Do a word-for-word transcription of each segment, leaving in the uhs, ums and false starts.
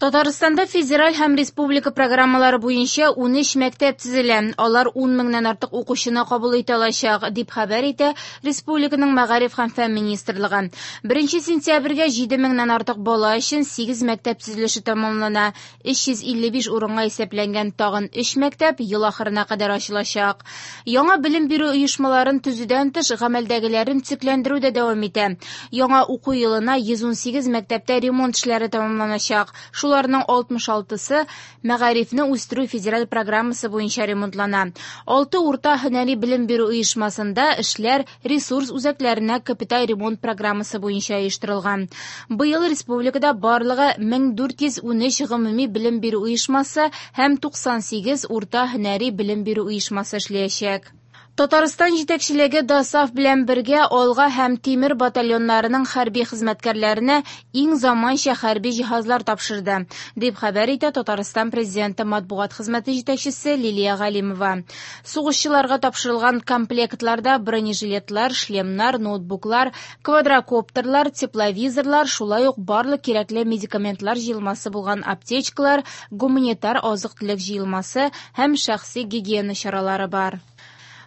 Татарстанда федераль һәм республика программалары буенча унөч мәктәп төзелә. Алар ун меңнән артык укучыны кабул итә алачак, дип хәбәр итә республиканың Мәгариф һәм фән министрлыгы. Беренче сентябрьгә җиде меңнән артык бала өчен сигез мәктәп төзелеше тәмамлана. Өч йөз илле биш урынга исәпләнгән тагын өч мәктәп ел ахырына кадәр ачылачак. Яңа белем бирү оешмаларын төзүдән тыш, гамәлдәгеләрен төзекләндерү дә дәвам итә. Яңа уку елына йөз ун сигез мәктәптә ремонт эшләре тәмамланачак. Шуларның алтмыш алтысы Мәгарифне үстерү федераль программасы буенча ремонтлана. Алты урта һөнәри белем бирү оешмасында эшләр ресурс үзәкләренә капиталь ремонт программасы буенча оештырылган. Быел республикада барлыгы мең дүрт йөз унөч гомуми белем бирү оешмасы һәм туксан сигез урта һөнәри белем бирү оешмасы эшләячәк. Татарстан җитәкчелеге ДОСААФ белән бергә Алга һәм Тимер батальоннарының хәрби хезмәткәрләренә иң заманча хәрби җиһазлар тапшырды, дип хәбәр итә Татарстан президенты матбугат хезмәте җитәкчесе Лилия Галимова. Сугышчыларга тапшырылган комплектларда бронежилетлар, шлемнар, ноутбуклар, квадрокоптерлар, тепловизорлар, шулай ук барлык кирәкле медикаментлар җыелмасы булган аптечкалар, гуманитар азык-төлек җыелмасы һәм шәхси гигиена чаралары бар.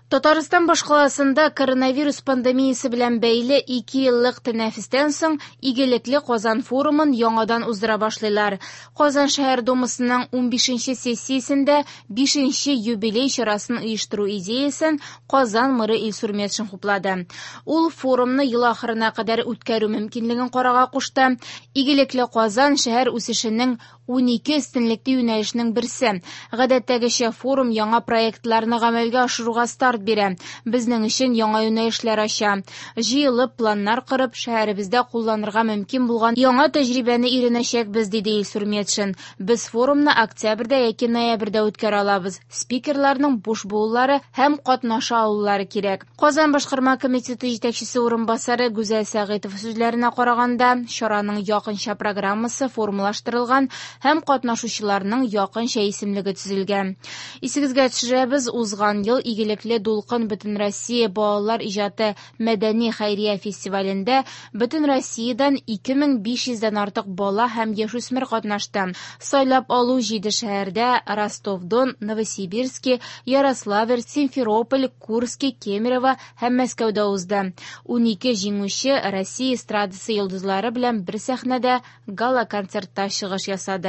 Татарстан башкаласында коронавирус пандемиясе белән бәйле ике еллык тәнәфестән соң Игелекле Казан форумын яңадан уздыра башлыйлар. Казан шәһәр думасының унбишенче сессиясендә бишенче юбилей чарасын оештыру идеясын Казан мэры Илсур Метшин хуплады. Ул форумны ел ахырына кадәр үткәрү мөмкинлеген карарга кушты. Игелекле Казан шәһәр үсешенең унике өстенлекле юнәлешенең берсе. Гадәттәгечә форум яңа проектларны гамәлгә ашыруга старт бирә. Безнең өчен яңа юнәлешләр ача. Җыелып, планнар корып, шәһәребездә кулланырга мөмкин булган яңа тәҗрибәне өйрәнәчәкбез, диде Илсур Метшин. Без форумны октябрьдә яки ноябрьдә үткәрә алабыз. Спикерларның буш булулары һәм катнаша алулары кирәк. Казан башкарма комитеты җитәкчесе урынбасары Гүзәл Сәгыйтова сүзләренә караганда, чараның якынча программасы формалаштырылган һәм катнашучыларның якынча исемлеге төзелгән. Исегезгә төшерәбез, узган ел Игелекле дулкын Бөтенроссия балалар иҗаты мәдәни хәйрия фестивалендә бөтен Россиядән ике мең биш йөздән артык бала һәм яшүсмер катнашты. Сайлап алу җиде шәһәрдә Ростов-Дон, Новосибирск, Ярославль, Симферополь, Курск, Кемерово һәм Мәскәүдә узды. Унике җиңүче Россия эстрадасы йолдызлары белән бер сәхнәдә гала-концертта чыгыш ясады.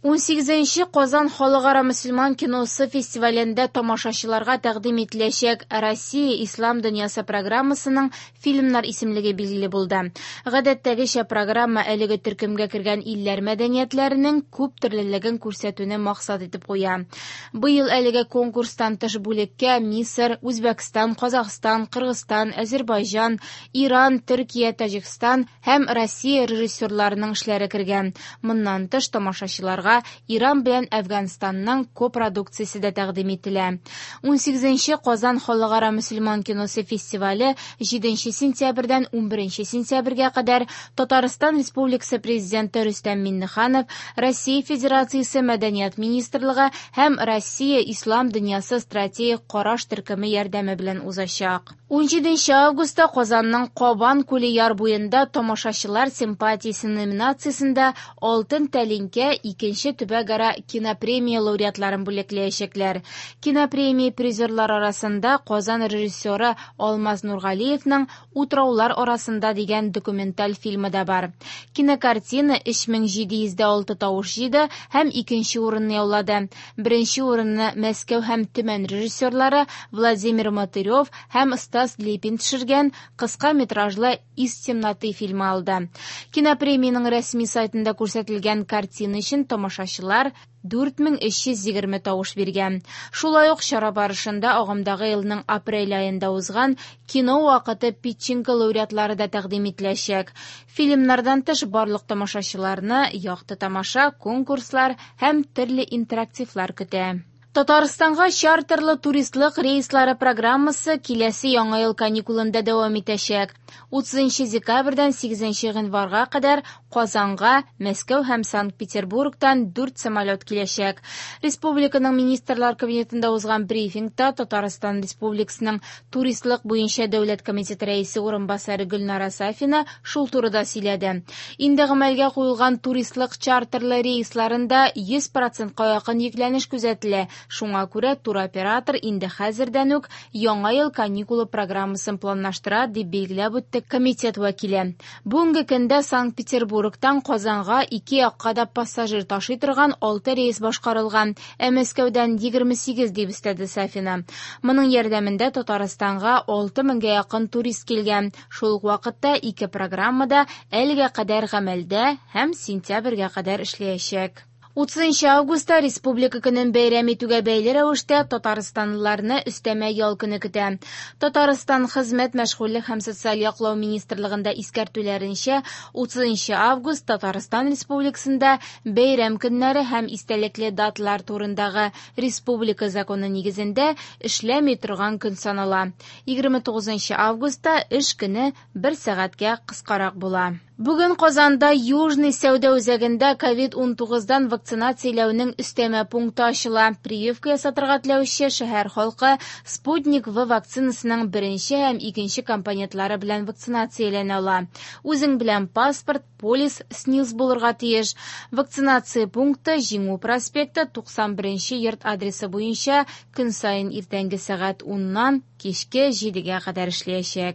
Унсигезенче Казан халыкара мөселман киносы фестивалендә тамашачыларга тәкъдим ителәчәк Россия Ислам дөньясы программасының фильмнар исемлеге билгеле булды. Гадәттәгечә программа әлеге төркемгә кергән илләр мәдәниятләренең күп төрлелеген күрсәтүне максат итеп куя. Быел әлеге конкурстан тыш бүлеккә Мисыр, Үзбәкстан, Казахстан, Кыргызстан, Азербайҗан, Иран, Төркия, Таҗикстан һәм Россия режиссерларының эшләре кергән. Моннан тыш тамашачыларга Иран белән Әфганстанның копродукциясе дә тәкъдим ителә. Унсигезенче Казан халыкара мөселман киносы фестивале җиденче сентябрьдән унберенче сентябрьгә кадәр Татарстан Республикасы Президенты Рөстәм Миңнеханов, Россия Федерациясе Мәдәният министрлыгы һәм Россия Ислам дөньясы стратегик караш төркеме ярдәме белән узачак. Унҗиденче августта Казанның Кабан күле яр буенда тамашачылар симпатиясе номинациясендә Алтын тәлинкә икенче төбәкара кинопремия лауреатларын бүләкләячәкләр. Кинопремия призерлар арасында Казан режиссеры Алмаз Нургалиевның Утраулар арасында дигән документаль фильмы да бар. Кинокартина өч мең җиде йөз дә алты тавыш җыйды һәм икенче урынны яулады. Беренче урынны Мәскәү һәм Төмән режиссерлары Владимир Мотырев һәм Стас Лепин төшергән кыска метражлы Из темноты фильмы алды. Кинопремиянең рәсми сайтында күрсәтелгән картина өчен тамашачылар дүрт мең өч йөз егерме тавыш биргән. Шулай ук чара барышында агымдагы елның апрель аенда узган кино вакыты питчингы лауреатлары да тәкъдим ителәчәк. Фильмнардан тыш барлык тамашачыларны якты тамаша, конкурслар һәм төрле интерактивлар көтә. Татарстанга чартерлы туристлык рейслары программасы киләсе яңа ел каникулында дәвам итәчәк. утызынчы декабрьдән сигезенче гыйнварга кадәр Казанга Мәскәү һәм Санкт-Петербургтан дүрт самолет киләчәк. Республиканың Министрлар Кабинетында узган брифингта Татарстан Республикасының туристлык буенча дәүләт комитеты рәисе урынбасары Гөлнара Сафина шул турыда сөйләде. Инде гамәлгә куелган туристлык чартерлы рейсларында йөз процентка якын йөкләнеш күзәтелә. Шуңа күрә туроператор инде хәзердән үк яңа ел каникулы программасын планлаштыра, дип билгеләп үтте комитет вәкиле. Бүгенге көндә Санкт-Петербургтан Казанга ике якка да пассажир ташый торган алты рейс башкарылган, ә Мәскәүдән егерме сигез, дип өстәде Сафина. Моның ярдәмендә Татарстанга алты меңгә якын турист килгән. Шул ук вакытта ике программада әлегә кадәр гамәлдә һәм сентябрьгә кадәр эшләячәк. утызынчы августта Республика көнен бәйрәм итүгә бәйле рәвештә татарстанлыларны өстәмә ял көне көтә. Татарстан Хезмәт, мәшгульлек һәм социаль яклау министрлыгында искәртүләренчә, утызынчы август Татарстан Республикасында бәйрәм көннәре һәм истәлекле даталар турындагы республика законы нигезендә эшләми торган көн санала. егерме тугызынчы августта эш көне бер сәгатькә кыскарак була. Бүген Казанда Южный сәүдә үзәгендә ковид унтугыздан вакцинацияләүнең өстәмә пункты ачыла. Прививка ясатырга теләүче шәһәр халкы Спутник В вакцинасының беренче һәм икенче компонентлары белән вакцинацияләнә ала. Үзең белән паспорт, полис, СНИЛС булырга тиеш. Вакцинация пункты Җиңү проспекты туксан беренче йорт адресы буенча көн саен иртәнге сәгать уннан кичке җидегә кадәр эшләячәк.